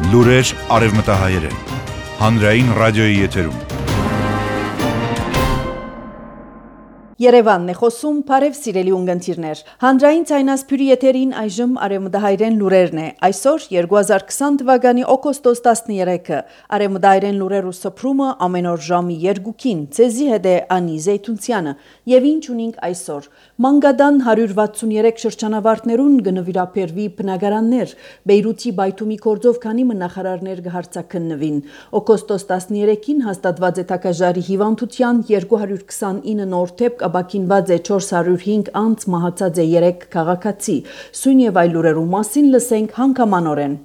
Լուրեր արևմտահայերեն։ Հանրային ռադիոյի եթերում։ Երևանն է խոսում, բարև սիրելի ունգընտիրներ։ Հանրային ցայնասփյուրի եթերին այժմ արևմտահայերեն լուրերն է։ Այսօր 2020 թվականի օգոստոս 13-ը։ Արևմտահայերեն լուրերու սփռումը ամեն օր ժամի 2-ին։ Ցեզի հետ է Անի Զեյթունցյանը։ Եվ ինչ ունենք այսօր։ Մանգադան 163 շրջանավարտներուն կնվիրապերվի բնակարաններ։ Բեյրութի բայթումի կորձով քանի նախարարներ կհարցակննվին։ Օգոստոս 13-ին հաստատված է թակաժարի հիվանդության 229 նոր դեպք Աբակինված է 405 անց, մահացած է 3 քաղաքացի։ Սույն եւ այլ լուրերու մասին լսենք հանգամանորեն։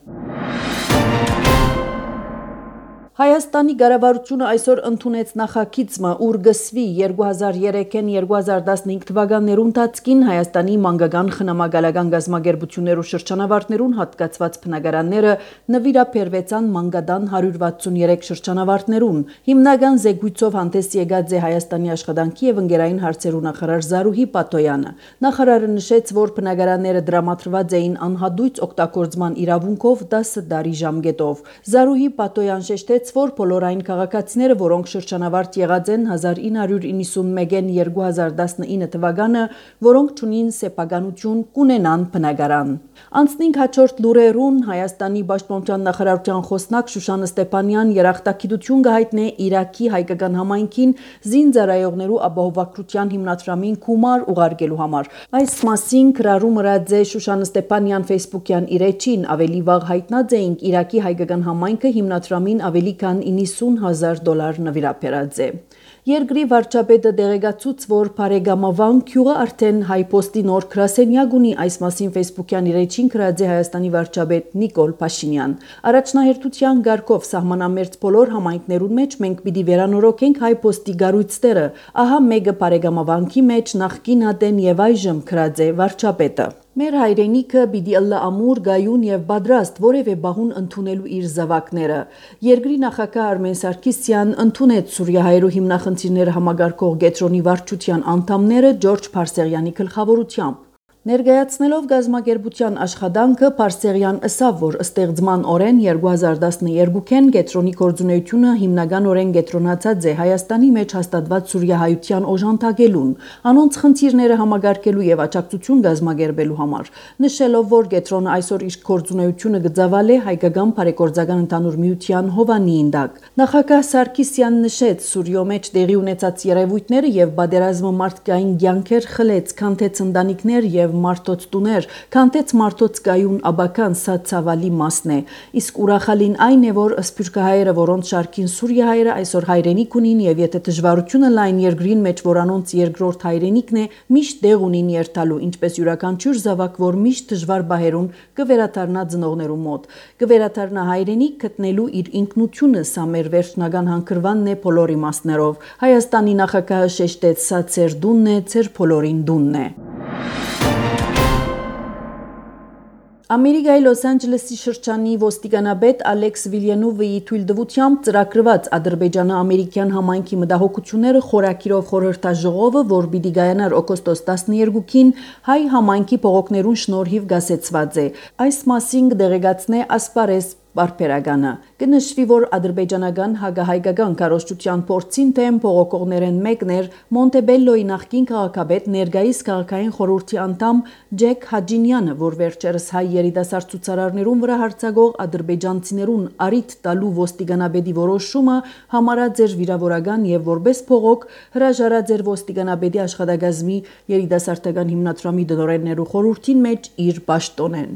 Հայաստանի կառավարությունը այսօր ընդունեց նախագիծը, ուր գսվի 2003-ին 2015 թվականներուն ընթացքին Հայաստանի մանկական խնամակալական գազագերբություններու շրջանավարտներուն հատկացված բնակարանները նվիրապերվեցան մանկադան 163 շրջանավարտներուն։ Հիմնական զեկույցով հանդես եկած է Հայաստանի աշխատանքի եւ ընկերային հարցերու նախարար Զարուհի Պատոյանը։ Նախարարը նշեց, որ բնակարանները դրամատրված էին անհատույց օգտագործման իրավունքով 10 տարի ժամկետով։ Զարուհի Պատոյան շեշտեց, որ բոլոր այն քաղաքացիները, որոնք շրջանավարտ եղած են 1991-ին 2019 թվականը, որոնք չունին սեփականություն, կունենան բնակարան։ Անցնենք հաջորդ լուրերուն։ Հայաստանի Պաշտպանության նախարարության խոսնակ Շուշան Ստեփանյան երախտագիտություն կհայտնի Իրաքի հայկական համայնքին զինծառայողներու ապահովագրության հիմնադրամին գումար ուղարկելու համար։ Այս մասին գրառում ըրաձե Շուշան Ստեփանյան Facebook-յան իր էջին ավելի վաղ հայտնած էինք Իրաքի հայկական համայնքը հիմնադրամին ավելի քան $90,000 նվիրապերած է։ Երկրի վարչապետը դեղեկացուց, որ Փարեգամավան գյուղը արդեն հայպոստի նոր գրասենյակ ունի, այս մասին Facebook-յան իր էջին գրած է Հայաստանի վարչապետ Նիկոլ Փաշինյան։ Առաջնահերթության ղարքով սահմանամերձ բոլոր համայնքներուն մեջ մենք պիտի վերանորոգենք հայպոստի գառույցները։ Ահա մեկը Փարեգամավանքի մեջ նախկին ատեն եւ այժմ գրած է վարչապետը։ Մեր հայրենիքը պիտի ըլլա ամուր, գայուն եւ պատրաստ որևէ բահուն ընդունելու իր զավակները։ Երկրի նախագահ Արմեն Սարգսյան ընդունեց Սուրիահայերու հիմնախնդիրները համագարկող կետրոնի վարչության անդամները Ջորջ Փարսեղյանի գլխավորությամբ։ Ներկայացնելով գազագերբության աշխատանքը Փարսեղյան ըսավ, որ ստեղծման օրեն 2012-ին կետրոնի կորձունեությունը հիմնականորեն կետրոնացած է Հայաստանի մեջ հաստատված սուրիահայության օժանդակելուն, անոնց խնդիրները համագարկելու եւ աջակցություն գազագերբելու համար, նշելով, որ կետրոնը այսօր իր կորձունեությունը գծավալ է հայկական բարեգործական ընդհանուր միության հովանիին տակ։ Նախագահ Սարգսյանն նշեց, Սուրիո մեջ տեղի ունեցած երևույթները եւ պատերազմը մարդկային կյանքեր խլեց, քանթեց ընտանիքներ եւ մարդոց տուներ, քանթեց մարդոց կայուն աբական, սա ցավալի մասն է։ Իսկ ուրախալին այն է, որ սփյուռքահայերը, որոնց շարքին սուրիահայերը այսօր հայրենիք ունին եւ եթե դժվարությունը լայն երկրին մեջ, որ անոնց երկրորդ հայրենիքն է, միշտ դեղ ունին երթալու, ինչպես յուրաքանչյուր զավակ, որ միշտ դժվար բահերուն կվերաթարնա ծնողներու մոտ, կվերաթարնա հայրենիք գտնելու իր ինքնությունը, սա մեր վերջնական հանգրվանն է բոլոր իմաստներով։ Հայաստանի նախագահը շեշտեց, սա ծեր դունն է, ծեր բոլորին դունն է։ Ամերիկայի Լոս Անջելեսի շրջանի ոստիկանապետ Ալեքս Վիլյանովի թույլտվությամբ ծրագրված Ադրբեջանը ամերիկյան համայնքի մտահոգությունները խորակիրով խորհրդաժողովը, որ պիտի գայանար օգոստոս 12-ին, հայ համայնքի փողոքներուն շնորհիվ գասեցված է։ Այս մասին կդեղեկացնե Ասպարես Բարբերականը։ Կնշվի, որ ադրբեջանական հակահայկական քարոզչության փորձին թեմ փողոքողներեն մեկն էր Մոնտեբելլոյի նախկին քաղաքապետ ներկայիս քաղաքային խորհրդի անդամ Ջեք Հաջինյանը, որ վերջերս հայ երիտասարդ ցուցարարներուն վրա հարձակող ադրբեջանցիներուն արիթ տալու ոստիկանապետի որոշումը համարած էր վիրավորական եւ որպես փողոք հրաժարած էր ոստիկանապետի աշխատակազմի երիտասարդական հիմնադրամի դնորեններու խորհրդին մեջ իր պաշտոնեն։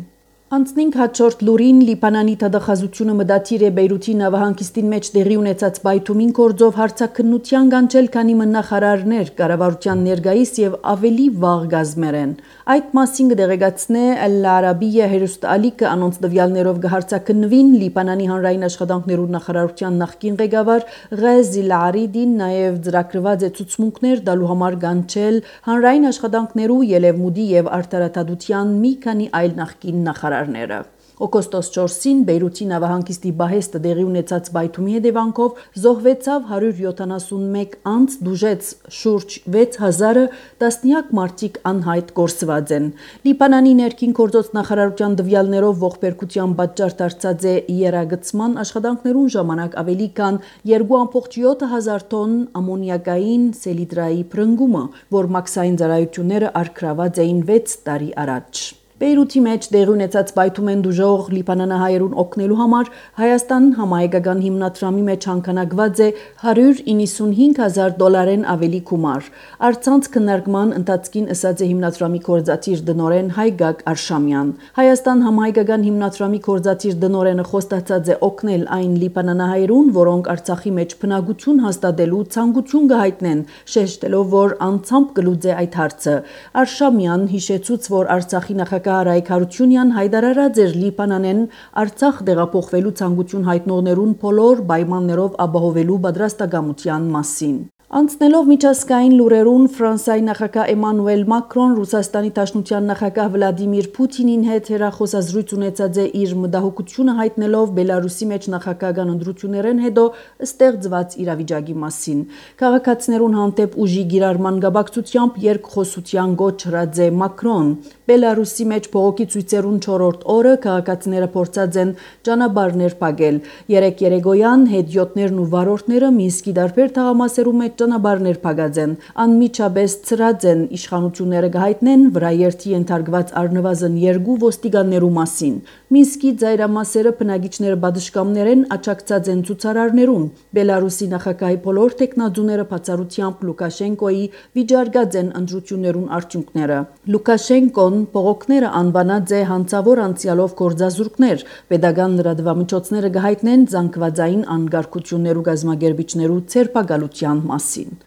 Անցնենք հաջորդ լուրին։ Լիբանանի թադախազությունը մտադիր է Բեյրութի նավահանգիստին մեջ տեղի ունեցած բայթումին կորձով հարցակնության կանչել, քանի նախարարներ կառավարության ներկայիս եւ ավելի վաղ գազմերեն։ Այդ մասին կդեղեկացնե Al Arabiya հերոստալիկը անոնց տվյալներով կհարցակնվին Լիբանանի հանրային աշխատանքներու նախարարության նախկին ղեկավար Ղազի Լարիդին, նաեւ ծրագրված է ցուցմունքներ դալու համար կանչել հանրային աշխատանքներու, ելևմուդի եւ արտարադատության մի քանի այլ նախկին նախարարները։ Օգոստոս 4-ին Բեյրութի նավահանգիստի բահեստը դեղի ունեցած բայթումի հետևանքով զոհվեցավ 171 անձ, դուժեց շուրջ 6000-ը, տասնյակ մարդիկ անհայտ կորսված են։ Լիբանանի ներքին գործոց նախարարության տվյալներով ողբերգության պատճառ դարձած է եռագծման աշխատանքներուն ժամանակ ավելի քան 2.7 հազար տոն ամոնիակային սելիտրայի փրկումը, որ մաքսային ծառայությունները արգրաված էին 6 տարի առաջ։ Բեյրութի մեջ տեղի ունեցած բայթումեն դուժող լիբանանահայերուն օգնելու համար Հայաստան համահայկական հիմնադրամի մեջ հանքանակված է $195,000 ավելի գումար։ Առցանց քննարկման ընթացքին ըսած է հիմնադրամի կորզատիր դնորեն Հայգակ Արշամյան։ Հայաստան համահայկական հիմնադրամի կորզատիր դնորենը խոստացած է օգնել այն լիբանանահայերուն, որոնք Արցախի մեջ բնակություն հաստատելու ցանկություն կհայտնեն, շեշտելով, որ անցամբ կլուծե այդ հարցը։ Արշամյան հիշեցուց, որ Արցախի նախագահ Արայք Հարությունյան հայտարարած էր Լիբանանեն Արցախ տեղափոխվելու ցանկություն հայտնողներուն բոլոր պայմաններով ապահովելու պատրաստակամության մասին։ Անցնելով միջազգային լուրերուն Ֆրանսիայի նախագահ Էմանուել Մակրոն Ռուսաստանի Դաշնության նախագահ Վլադիմիր Պուտինին հետ հեռախոսազրույց ունեցած է իր մտահոգությունը հայտնելով Բելարուսի մեջ նախագահական ընտրություններեն հետո ստեղծված իրավիճակի մասին։ Քաղաքացիներուն հանդեպ ուժի գիրառման գաբակցությամբ երկխոսության գոչրած է Մակրոն։ Բելարուսի մեջ փողոքի ցույցերուն 4-րդ օրը քաղաքացիները փորձած են ճանապարհներ փակել։ Երեկոյան հետիոտներն ու վարորդները Մինսկի տարբեր թաղամասերում մեջ ճանապարհներ փակած են։ Անմիջապես ծրած են իշխանությունները կհայտնեն վրաերթի ենթարկված առնվազն 2 ոստիկաններու մասին։ Մինսկի ծայրամասերը բնակիչները պատշգամբներ են աջակցած են ցուցարարներուն։ Բելարուսի նախագահի բոլոր տեխնազուները բացառությամբ Լուկաշենկոյի վիճարկած են ընտրություններուն արդյունքները։ Լուկաշենկոն փողոքները անվանած է հանցավոր անցյալով գործազուրկներ, պետական լրատվամիջոցները կհայտնեն զանգվածային անկարգություններու կազմակերպիչներու ցերպակալության մասին։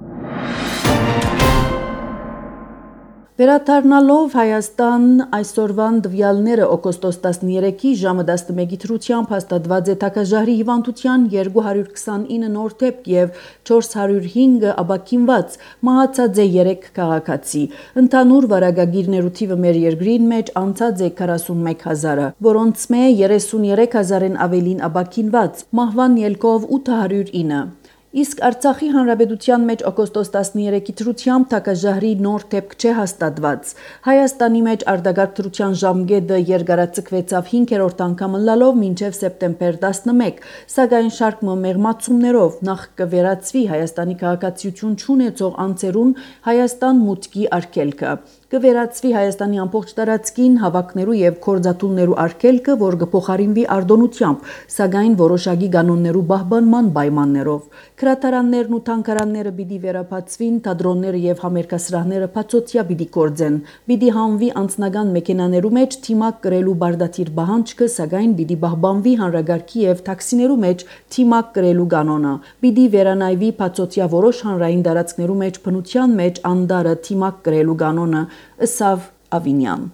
Վերադառնալով Հայաստան այսօրվան տվյալները օգոստոս 13-ի ժամը 11-ի դրությամբ հաստատված է թագաժահրի հիվանդության 229 նոր դեպք եւ 405 ապաքինված, մահացած է 3 քաղաքացի։ Ընդհանուր վարակագիրներու թիվը մեր երկրին մեջ անցած է 41000-ը, որոնց մե 33000-ն ավելին ապաքինված, մահվան ելքով 809։ Իսկ Արցախի հանրապետության մեջ օգոստոս 13-ի դրությամբ թագաժահրի նոր դեպք չէ հաստատված։ Հայաստանի մեջ արտագաղթ դրության ժամկետը երկարաձգվեցավ 5-րդ անգամ ըլլալով մինչև սեպտեմբեր 11, սակայն շարք մեղմացումներով նախ կվերացվի Հայաստանի քաղաքացիություն չունեցող անձերուն Հայաստան մուտքի արգելքը։ Կվերացվի Հայաստանի ամբողջ տարածքին հավաքներու եւ կորզաթուլներու արգելքը, որ կփոխարինվի արտոնությամբ, սակայն որոշակի կանոններու պահպանման պայմաններով։ Քրատարաններն ու թանգարանները պիտի վերաբացվին, թատրոնները եւ համերգասրահները բացօթյա պիտի կորձեն։ Պիտի հանվի անձնական մեքենաներու մեջ թիմակ կրելու բարդաթիր պահանջքը, սակայն պիտի պահպանվի հանրագարքի եւ տաքսիներու մեջ թիմակ կրելու կանոնը։ Պիտի վերանայվի բացօթյա որոշ հանրային տարածքներու մեջ բնության մեջ անդարը թիմակ կրելու կանոնը, ըսավ Ավինյան։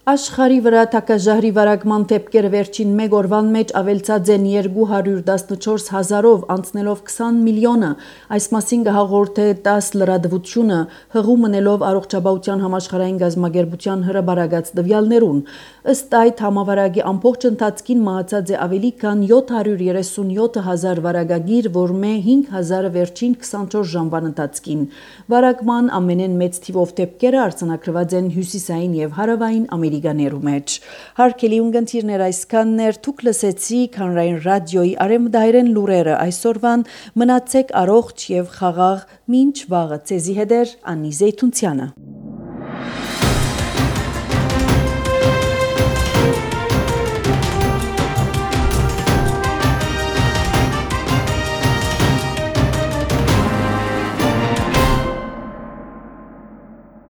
Աշխարհի վրա թագաժահրի վարակման դեպքերը վերջին մեկ օրվան մեջ ավելցած են 214,000-ով, անցնելով 20 միլիոնը։ Այս մասին կհաղորդե ՏԱՍ լրատվությունը, հղում մնելով Առողջապահության համաշխարհային կազմակերպության հրապարակած տվյալներուն։ Ըստ այդ համավարակի ամբողջ ընթացքին մահացած է ավելի քան 737,000 վարակագիր, որ մե 5,000-ը վերջին 24 ժամվան ընթացքին։ Վարակման ամենեն մեծ թիվով դեպքերը արձանագրված են հյուսիսային եւ հարավային Ամերիկաներու մեջ։ Հարգելի ունկնդիրներ, այսքաններ դուք լսեցիք Հանրային ռադիոյի արևմտահայերեն լուրերը այսօրվան, մնացեք առողջ եւ խաղաղ, մինչ վաղը ցեզի հետ Անի Զեյթունցյանը։